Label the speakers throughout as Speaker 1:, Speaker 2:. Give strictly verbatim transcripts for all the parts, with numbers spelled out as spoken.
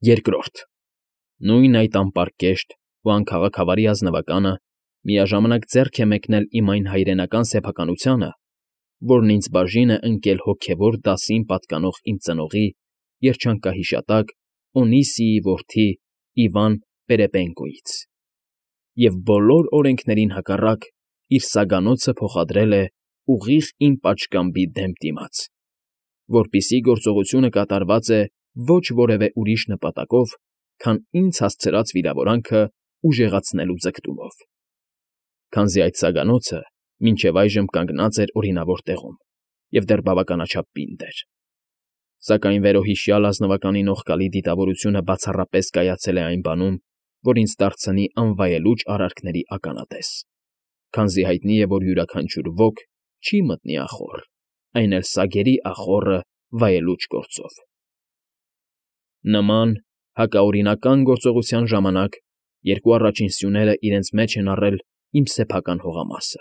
Speaker 1: Երկրորդ, նույն այդ անպարկեշտ ու անքաղաքավարի ազնվականը միաժամանակ ձեռք է մեկնել իմ այն հայրենական սեփականությանը, որն ինձ բաժին է ընկել հոգևոր դասին պատկանող իմ ծնողի, երջանկահիշատակ Օնիսիի որդի Իվան Պերեպենկոյից, և բոլոր օրենքներին հակառակ իր սագանոցը փոխադրել է ուղիղ իմ պատշգամբի դեմ դիմաց, որպիսի գործողությունը կատարված է ոչ որևէ ուրիշ նպատակով, քան ինձ հասցրած վիրավորանքը ուժեղացնելու ձգտումով, քանզի այդ սագանոցը մինչև այժմ կանգնած էր օրինավոր տեղում և դեռ բավականաչափ պինդ էր, սակայն վերոհիշյալ ազնվականի նողկալի դիտավորությունը բացառապես կայացել է այն բանում, որ ինձ դարձնի անվայելուչ արարքների ականատես, քանզի հայտնի է, որ յուրաքանչյուր ոք չի մտնի ախոռ, այն էլ սագերի ախոռը վայելուչ գործով։ Նման հակաօրինական գործողության ժամանակ երկու առաջին սյուները իրենց մեջ են առել իմ սեփական հողամասը,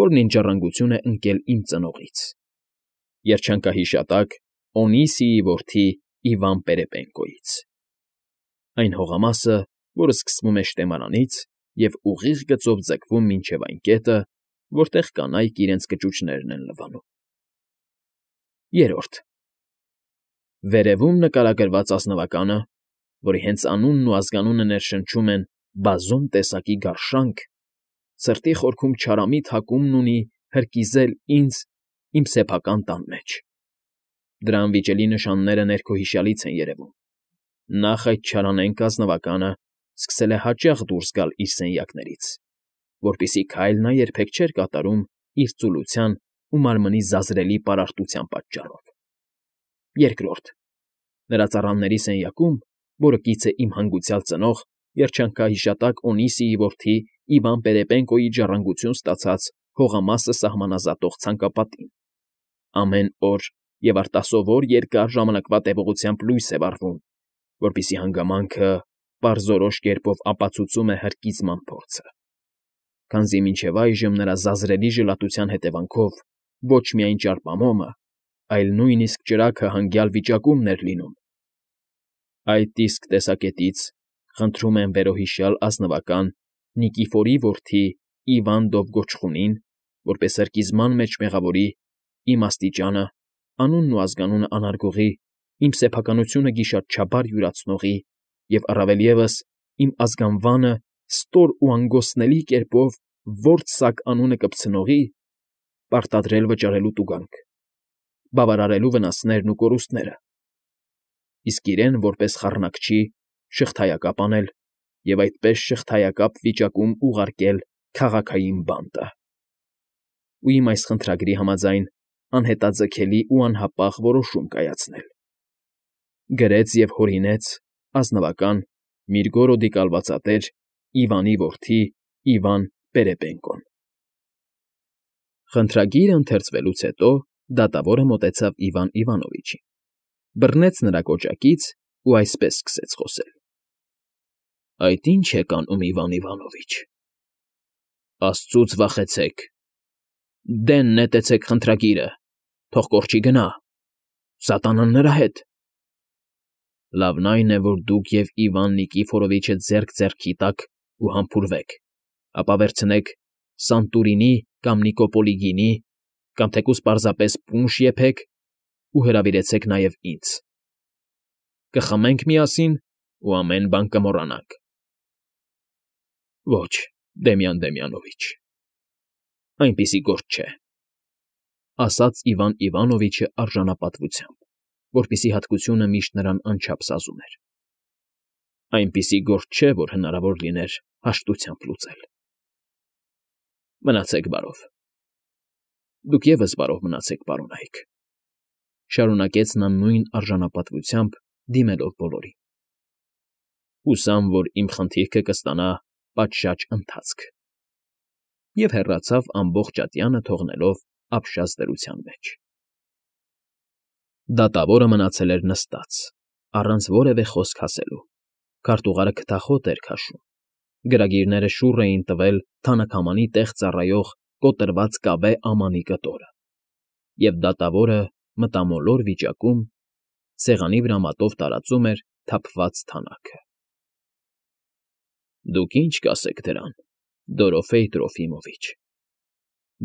Speaker 1: որն ինձ ժառանգություն է ընկել իմ ծնողից, երջանկահիշատակ Օնիսիի որդի Իվան Պերեպենկոյից, այն հողամասը, որը սկսվում է Շտեմարանից և ուղիղ գծով ձգվում մինչև այն կետը, որտեղ կանայք իրենց կճուճներն են լվանում։ Երրորդ, վերևում նկարագրված ազնվականը, որի հենց անունն ու ազգանունը ներշնչում են բազում տեսակի գարշանք, սրտի խորքում չարամիտ հակումն ունի հրկիզել ինձ իմ սեփական տան մեջ։ Դրա անվիճելի նշանները ներքոհիշյալից են երևում։ Նախ այդ չարանենգ ազնվականը սկսել է հաճախ դուրս գալ իր սենյակներից, որպիսի քայլ նա երբեք չէր կատարում իր ծուլության ու մարմնի զազրելի պարարտության պատճառով։ Երկրորդ, նրա ծառաների սենյակում, որը կից է իմ հանգուցյալ ծնող, երջանկահիշատակ Օնիսիի որդի Իվան Պերեպենկոյի ժառանգություն ստացած հողամասը սահմանազատող ցանկապատին, ամեն օր և արտասովոր երկար ժամանակվա տևողությամբ լույս է վառվում, որպեսզի հանգամանքը պարզորոշ կերպով ապացուցում է հրկիզման փորձը, քանզի մինչև այժմ նրա զազրելի ժլատության հետևանքով ոչ միայն ճարպամոմը, այլ նույնիսկ ճրագը հանգյալ վիճակումն էր լինում։ Այդ իսկ տեսակետից խնդրում եմ վերոհիշյալ ազնվական Նիկիֆորի որդի Իվան Դովգոչխունին, որպես հրկիզման մեջ մեղավորի, իմ աստիճանը, անունն ու ազգանունը անարգողի, իմ սեփականությունը գիշատչաբար յուրացնողի և առավել ևս իմ ազգանվանը ստոր ու անգոստների կերպով որբ֊սակ անունը կպցնողի, պարտադրել վճարելու տուգանք, բավարարելու վնասներն ու կորուստները, իսկ իրեն որպես խառնակչի շղթայակապ անել և այդպես շղթայակապ վիճակում ուղարկել քաղաքային բանտը, ու իմ այս խնդրագրի համաձայն անհետաձգելի ու անհապաղ որոշում կայացնել։ Գրեց և հորինեց ազնվական Միրգորոդի կալվածատեր Իվանի որդի Իվան Պերեպենկոն։ Խնդրագիրը ընթերցվելուց հետո դատավորը մոտեցավ Իվան Իվանովիչին, բռնեց նրա կոճակից ու այսպես սկսեց խոսել. Այդ ի՞նչ եք անում, Իվան Իվանովիչ, աստծուց վախեցեք, դեն նետեցեք խնդրագիրը, թող կորչի գնա, սատանան նրա հետ։ Լավն այն է, որ դուք և Իվան Նիկիֆորովիչը ձեռք ձեռքի տաք ու համբուրվեք, ապա վերցնեք Սանտուրինի կամ Նիկոպոլի գինի կամ թեկուզ պարզապես պունշ եփեք ու հրավիրեցեք նաև ինձ։ Կխմենք միասին ու ամեն բան կմոռանանք։ Ոչ, Դեմյան Դեմյանովիչ, այնպիսի գործ չէ, ասաց Իվան Իվանովիչը արժանապատվությամբ, որպիսի հատկությունը միշտ նրան անչափ սազում էր։ Այնպիսի գործ չէ, որ հնարավոր լիներ հաշտությամբ լուծել։ Մնացեք բարով։ Դուք ևս բարով մնացեք, պարոնայք, շարունակեց նա նույն արժանապատվությամբ, դիմելով բոլորին։ Հուսամ, որ իմ խնդիրքը կստանա պատշաճ ընթացք։ Եվ հեռացավ ամբողջատյանը թողնելով ապշած դրության մեջ։ Դատավորը մնացել էր նստած, առանց որևէ խոսք ասելու, քարտուղարը քթախոտ էր քաշում, գրագիրները շուռ էին տվել թանաքամանի տեղ ծառայող կոտրված կավե ամանի կտորը, և դատավորը մտամոլոր վիճակում սեղանի վրա մատով տարածում էր թափված թանաքը։ ֊ Դուք ի՞նչ կասեք դրան, Դորոֆեյ Տրոֆիմովիչ,֊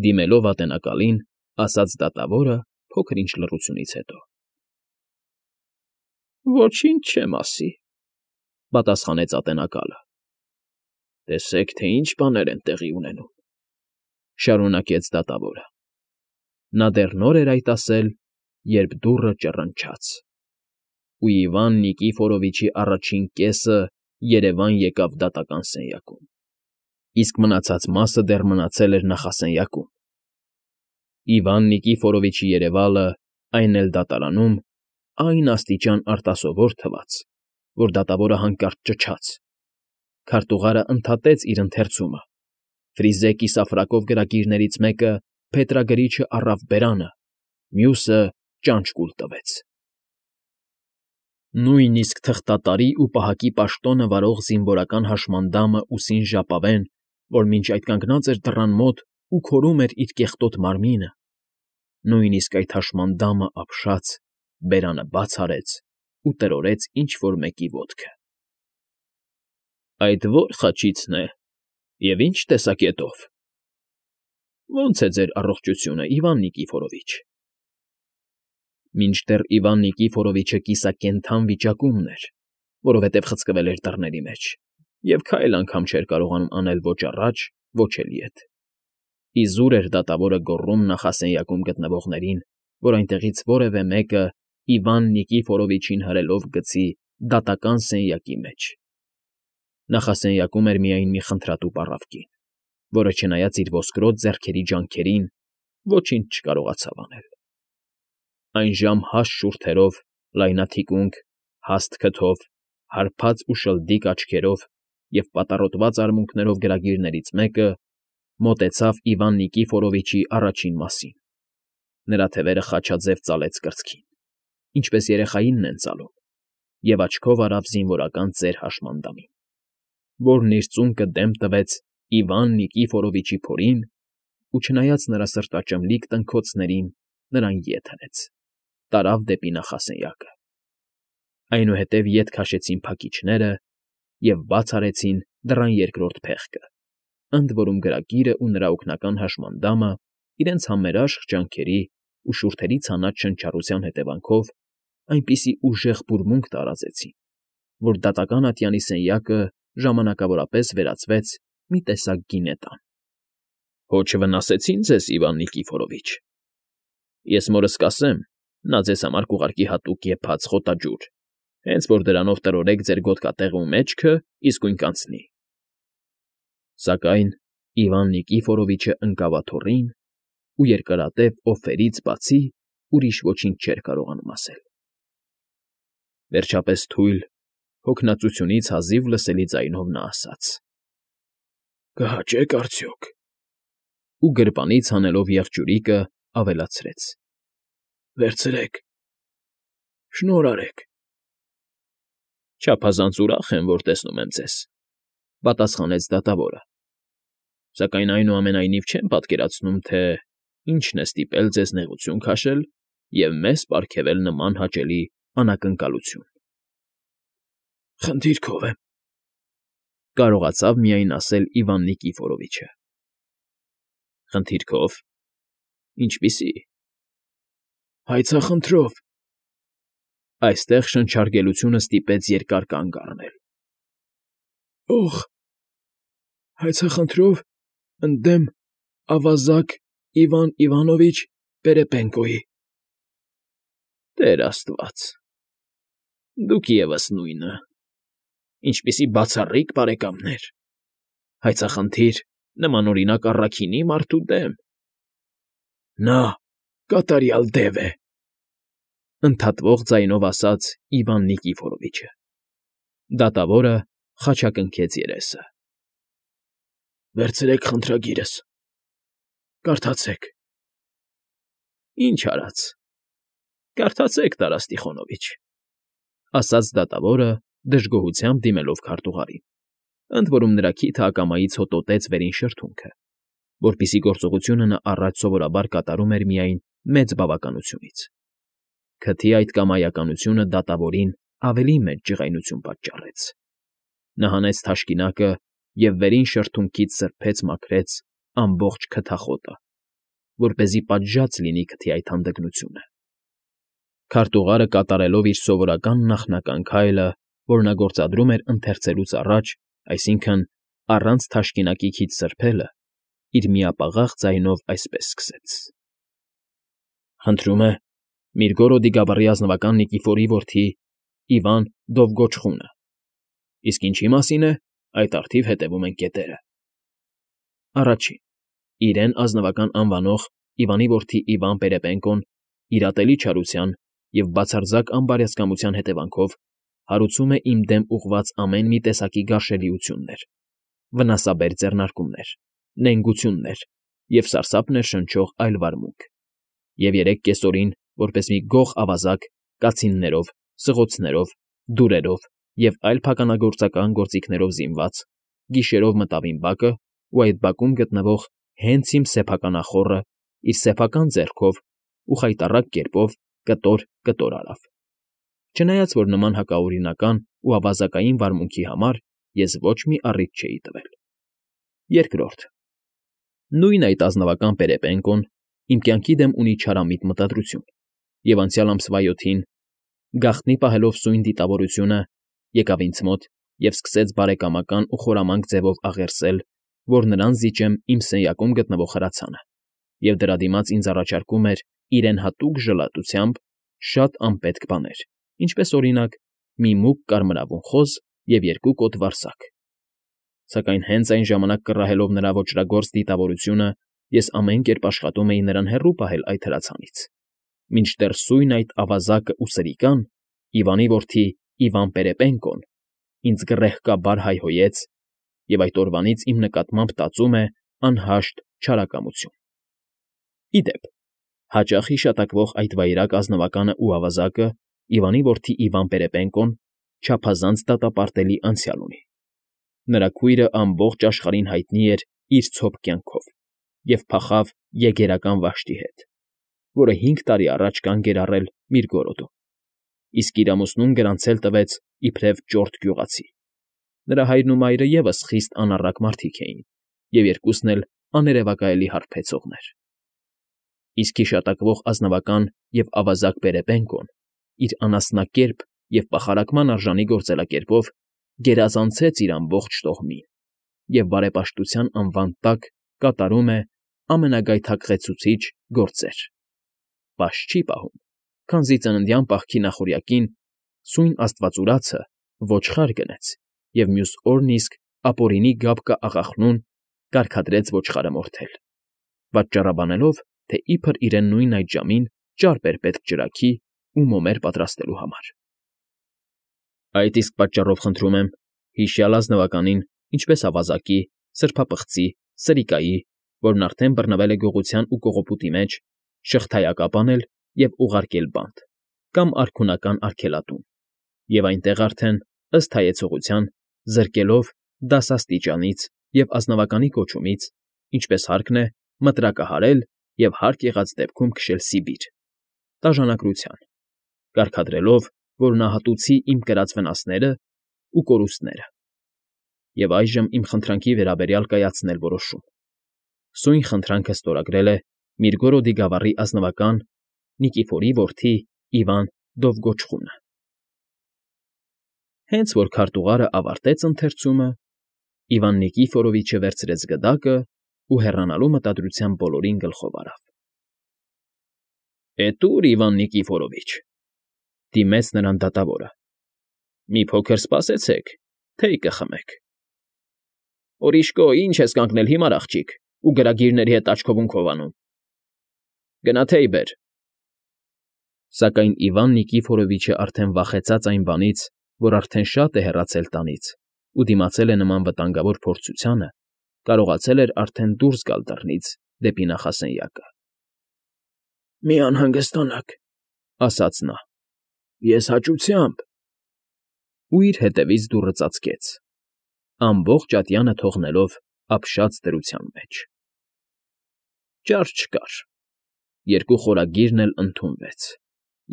Speaker 1: դիմելով ատենակալին, ասաց դատավորը փոքր-ինչ լռությունից հետո։ ֊ Ոչինչ չեմ ասի,֊ պատասխանեց ատենակալը։ ֊ Տեսեք, թե ինչ բաներ են տեղի ունենում,֊ շարունակեց դատավորը։ Նա դեռ նոր էր այդ ասել, երբ դուռը ճռնչաց, ու Իվան Նիկիֆորովիչի առաջին կեսը երևան եկավ դատական սենյակում, իսկ մնացած մասը դեռ մնացել էր նախասենյակում։ Իվան Նիկիֆորովիչի երևալը, այն էլ դատարանում, այն աստիճան արտասովոր թվաց, որ դատավորը հանկարծ ճչաց։ Քարտուղարը ընդհատեց իր ընթերցումը։ Ֆրիզե կիսավրակով գրագիրներից մեկը փետրագրիչը առավ բերանը, մյուսը ճանճ կուլ տվեց։ Նույնիսկ թղթատարի ու պահակի պաշտոնը վարող զինվորական հաշմանդամը ուսին ժապավեն, որ մինչ այդ կանգնած էր դռան մոտ ու քորում էր իր կեղտոտ մարմինը, նույնիսկ այդ հաշմանդամը ապշած, բերանը բաց արեց ու տրորտեց ինչ֊որ մեկի ոտքը։ ֊ Այդ ո՞ր խաչիցն է և ի՞նչ տեսակետով,֊ Ո՞նց է ձեր առողջությունը, Իվան Նիկիֆորովիչ։ Մինչդեռ Իվան Նիկիֆորովիչը կիսակենդան վիճակումն էր, որովհետև խցկվել էր դռների մեջ և քայլ անգամ չէր կարողանում անել ոչ առաջ, ոչ էլ ետ։ Իզուր էր դատավորը գոռում նախասենյակում գտնվողներին, որ այնտեղից որևէ մեկը Իվան Նիկիֆորովիչին հրելով գցի դատական սենյակի մեջ։ Նախասենյակում էր միայն մի խնդրատուփ առավ կին, որը, չնայած իր ոսկրոտ ձեռքերի ջանքերին, ոչինչ չկարողացավ անել։ Այնժամ հաստ շուրթերով, լայնաթիկունք, հաստ քթով, հարբած ու շլդիկ աչքերով և պատառոտված արմունկներով գրագիրներից մեկը մոտեցավ Իվան Նիկիֆորովիչի առաջին մասին. նրա թևերը խաչաձև ծալեց կրծքին, ինչպես երեխայինն են ծալում, և աչքով արավ զինվորական ծեր հաշմանդամին, որն իր ծունկը դեմ տվեց Իվան Նիկիֆորովիչի փորին ու, չնայած նրա սրտաճմլիկ տնքոցներին, նրան ետ հնեց, տարավ դեպի նախասենյակը։ Այնուհետև ետ քաշեցին փակիչները և բաց արեցին դռան երկրորդ փեղկը, ընդ որում գրագիրը ու նրա օգնական հաշմանդամը իրենց համերաշխ ջանքերի ու շուրթերի ցանած շնչառության հետևանքով այնպիսի ուժեղ բուրմունք տարածեցին, որ դատական ատյանի սենյակը ժամանակավորապես վերածվեց մի տեսակ գինետան։ ֊ Ոչ վնասեցի՞ն ձեզ, Իվան Նիկիֆորովիչ։ Ես մորս կասեմ, նա ձեզ համար կուղարկի հատուկ եփած խոտաջուր, հենց որ դրանով տրորեք ձեր գոտկատեղը ու մեջքը, իսկույն կանցնի։ Սակայն Իվան Նիկիֆորովիչը ընկավ աթոռին ու երկարատև օֆերից բացի ուրիշ ոչինչ չէր կարողանում ասել։ Վերջապես թույլ, հոգնածությունից հազիվ լսելի ձայնով նա ասաց. ֊ Կհաճե՞ք արդյոք։ Ու գրպանից հանելով եղջյուրիկը, ավելացրեց. ֊ Վերցրեք, շնորհ արեք։ ֊ Չափազանց ուրախ եմ, որ տեսնում եմ ձեզ,֊ պատասխանեց դատավորը,֊ սակայն այնուամենայնիվ չեմ պատկերացնում, թե ինչն է ստիպել ձեզ նեղություն քաշել և մեզ պարգևել նման հաճելի անակնկալություն։ ֊ Խնդիրքով եմ,֊ կարողացավ միայն ասել Իվան Նիկիֆորովիչը։ ֊ Խնդիրքո՞վ, ինչպիսի։ ֊ Հայցախնդրով։ Այստեղ շնչարգելությունը ստիպեց երկար կանգ առնել։ ֊ Օղ… Հայցախնդրով ընդդեմ ավազակ Իվան Իվանովիչ Պերեպենկոյի։ ֊ Տեր աստված… Դուք ևս նույնը… Ինչպիսի բացառիկ բարեկամներ… Հայցախնդիր նմանօրինակ առաքինի մարդու դեմ… Նա կատարյալ դև է,֊ ընդհատվող ձայնով ասաց Իվան Նիկիֆորովիչը։ Դատավորը խաչակնքեց երեսը։ ֊ Վերցրեք խնդրագիրս, կարդացեք։ ֊ Ինչ արած… Կարդացեք, Տարաս Տիխոնովիչ,֊ ասաց դատավորը, դժգոհությամբ դիմելով քարտուղարին, ընդ որում նրա քիթը ակամայից հոտոտեց վերին շրթունքը, որպիսի գործողությունը նա առաջ սովորաբար կատարում էր միայն մեծ բավականությունից։ Քթի այդ կամայականությունը դատավորին ավելի մեծ ջղայնություն պատճառեց։ Նա հանեց թաշկինակը և վերին շրթունքից սրբեց մաքրեց ամբողջ քթախոտը, որպեսզի պատժած լինի քթի այդ հանդգնությունը։ Քարտուղարը կատարելով իր սովորական նախնական քայլը, որ նա գործադրում էր ընթերցելուց առաջ, այսինքն՝ առանց թաշկինակի քիթ սրբելը, իր միապաղաղ ձայնով այսպես սկսեց. «Խնդրում է Միրգորոդի գավառի ազնվական Նիկիֆորի որդի Իվան Դովգոչխունը, իսկ ինչի մասին է, այդ առթիվ հետևում են կետերը»։ Առաջին. իրեն ազնվական անվանող Իվանի որդի Իվան Պերեպենկոն իր ատելի չարության և բացարձակ անբարյացկամության հետևանքով հարուցում է իմ դեմ ուղղված ամեն մի տեսակի գարշելիություններ, վնասաբեր ձեռնարկումներ, նենգություններ և սարսափ ներշնչող այլ վարմունք, և երեկ կեսօրին, որպես մի գող ավազակ, կացիններով, սղոցներով, դուրերով և այլ փականագործական գործիքներով զինված, գիշերով մտավ իմ բակը ու այդ բակում գտնվող հենց իմ սեփական ախոռը իր սեփական ձեռքով ու խայտառակ կերպով կտոր֊կտոր արավ։ Չնայած որ նման հակաօրինական ու ավազակային վարմունքի համար ես ոչ մի առիթ չէի տվել։ Երկրորդ. նույն այդ ազնվական Պերեպենկոն իմ կյանքի դեմ ունի չարամիտ մտադրություն, և անցյալ ամսվա յոթին, գաղտնի պահելով սույն դիտավորությունը, եկավ ինձ մոտ և սկսեց բարեկամական ու խորամանկ ձևով աղերսել, որ նրան զիջեմ իմ սենյակում գտնվող հրացանը, և դրա դիմաց ինձ առաջարկում էր իրեն հատուկ ժլատությամբ շատ անպետք բաներ, ինչպես, օրինակ, մի մուգ կարմրավուն խոզ և երկու կոթ վարսակ։ Սակայն հենց այն ժամանակ կռահելով նրա ոճրագործ դիտավորությունը, ես ամեն կերպ աշխատում էի նրան հեռու պահել այդ հրացանից, մինչդեռ սույն այդ ավազակն ու սրիկան, Իվանի որդի Իվան Պերեպենկոն, ինձ գռեհկաբար հայհոյեց և այդ օրվանից իմ նկատմամբ տածում է անհաշտ չարակամություն։ Ի դեպ, հաճախ հիշատակվող այդ վայրագ ազնվականն ու ավազակը, Իվանի որդի Իվան Պերեպենկոն, չափազանց դատապարտելի անցյալ ունի։ Նրա քույրը ամբողջ աշխարհին հայտնի էր իր ցոփ կյանքով և փախավ եգերական վաշտի հետ, որը հինգ տարի առաջ կանգ էր առել Միրգորոդում, իսկ իր ամուսնուն գրանցել տվեց իբրև ճորտ գյուղացի։ Նրա հայրն ու մայրը ևս խիստ անառակ մարդիկ էին և երկուսն էլ աներևակայելի հարբեցողներ։ Իսկ հիշատակվող ազնվական և ավազակ Պերեպենկոն իր անասնակերպ և պախարակման արժանի գործելակերպով գերազանցեց իր ամբողջ տոհմին և բարեպաշտության անվան տակ կատարում է ամենագայթակղեցուցիչ գործեր, պաշտ չի պահում, քանզի ծննդյան պահքի նախօրյակին սույն աստվածուրացը ոչխար գնեց և մյուս օրն իսկ ապօրինի գաբկա աղախնուն կարգադրեց ոչխարը մորթել, պատճառաբանելով, թե իբր իրեն նույն այդ ժամին ճարպ էր պետք ճրագի ու մոմեր պատրաստելու համար։ Այդ իսկ պատճառով խնդրում եմ հիշյալ ազնվականին, ինչպես ավազակի, սրբապղծի, սրիկայի, որն արդեն բռնվել է գողության ու կողոպուտի մեջ, շղթայակապ անել և ուղարկել բանտ կամ արքունական արգելատուն, և այնտեղ արդեն, ըստ հայեցողության, զրկելով դասաստիճանից և ազնվականի կոչումից, ինչպես հարկն է, մտրակահարել և հարկ եղած դեպքում քշել Սիբիր, տաժանակրության, կարգադրելով, որ նահատուցի իմ կրած վնասներն ու կորուստները, և այժմ իմ խնդրանքի վերաբերյալ կայացնել որոշում։ Սույն խնդրանքը ստորագրել է Միրգորոդի գավառի ազնվական Նիկիֆորի որդի Իվան Դովգոչխունը։ Հենց որ քարտուղարը ավարտեց ընթերցումը, Իվան Նիկիֆորովիչը վերցրեց գդակն ու հեռանալու մտադրությամբ բոլորին գլխով արավ։ ֊ Էդ ո՞ւր, Իվան Նիկիֆորովիչ,֊ դիմեց նրան դատավորը։֊ Մի փոքր սպասեցեք, թեյ կխմեք։ ֊ Օրիշկո, ի՞նչ ես կանգնել հիմար, աղջիկ, ու գրագիրների հետ աչքովունքով անում… Գնա թեյ բեր… Սակայն Իվան Նիկիֆորովիչը արդեն վախեցած այն բանից, որ արդեն շատ է հեռացել տանից ու դիմացել է նման վտանգավոր փորձությանը, կարողացել էր արդեն դուրս գալ դռնից դեպի նախասենյակը։ ֊ Մի անհանգստանաք,֊ ասաց նա,֊ ես հաճությամբ… Ու իր հետևից դուռը ծածկեց, ամբողջ ատյանը թողնելով ապշած դրության մեջ։ Ճար չկար, երկու խորագիրն էլ ընդունվեց,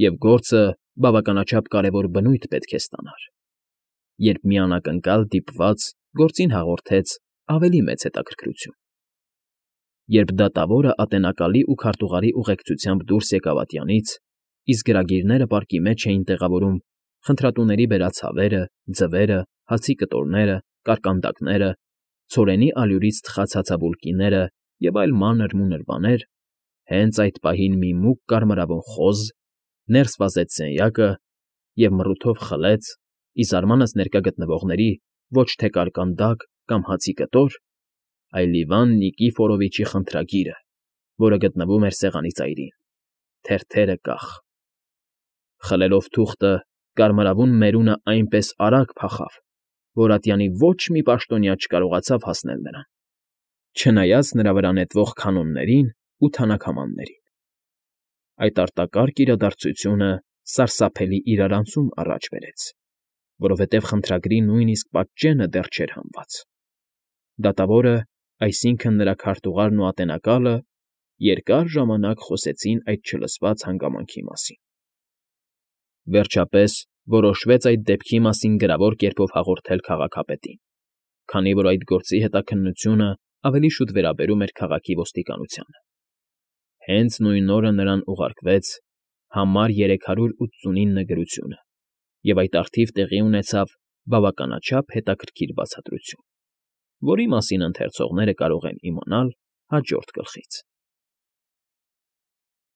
Speaker 1: և գործը բավականաչափ կարևոր բնույթ պետք է ստանար, երբ մի անակնկալ դիպված գործին հաղորդեց ավելի մեծ հետաքրքրություն։ Երբ դատավորը ատենակալի ու քարտուղարի ուղեկցությամբ դուրս եկավ ատյանից, իսկ գրագիրները պարկի մեջ էին տեղավորում խնդրատուների բերած հավերը, ձվերը, հացի կտորները, կարկանդակները, ցորենի ալյուրից թխած հացաբուլկիները և այլ մանր֊մունր բաներ, հենց այդ պահին մի մուգ կարմրավուն խոզ ներս վազեց սենյակը և մռութով խլեց, ի զարմանք ներկա գտնվողների, ոչ թե կարկանդակ կամ հացի կտոր, այլ Իվան Նիկիֆորովիչի խնդրագիրը, որը գտնվում էր սեղանի ծայրին, թերթերը կախ։ Խլելով թուղթը, կարմրավուն մերունը այնպես արագ փախավ, որ ատյանի ոչ մի պաշտոնյա չկարողացավ հասնել նրան, չնայած նրա վրա նետվող քանոններին ու թանաքամաններին։ Այդ արտակարգ իրադարձությունը սարսափելի իրարանցում առաջ բերեց, որովհետև խնդրագրի նույնիսկ պատճենը դեռ չէր հանված։ Դատավորը, այսինքն՝ նրա քարտուղարն ու ատենակալը, երկար ժամանակ խոսեցին այդ չլսված հանգամանքի մասին։ Վերջապես որոշվեց այդ դեպքի մասին գրավոր կերպով հաղորդել քաղաքապետին, քանի որ այդ գործի հետաքննությունը ավելի շուտ վերաբերում էր քաղաքի ոստիկանությանը։ Հենց նույն օրը նրան ուղարկվեց համար երեք հարյուր ութսունինը գրությունը, և այդ առթիվ տեղի ունեցավ բավականաչափ հետաքրքիր բացատրություն, որի մասին ընթերցողները կարող են իմանալ հաջորդ գլխից։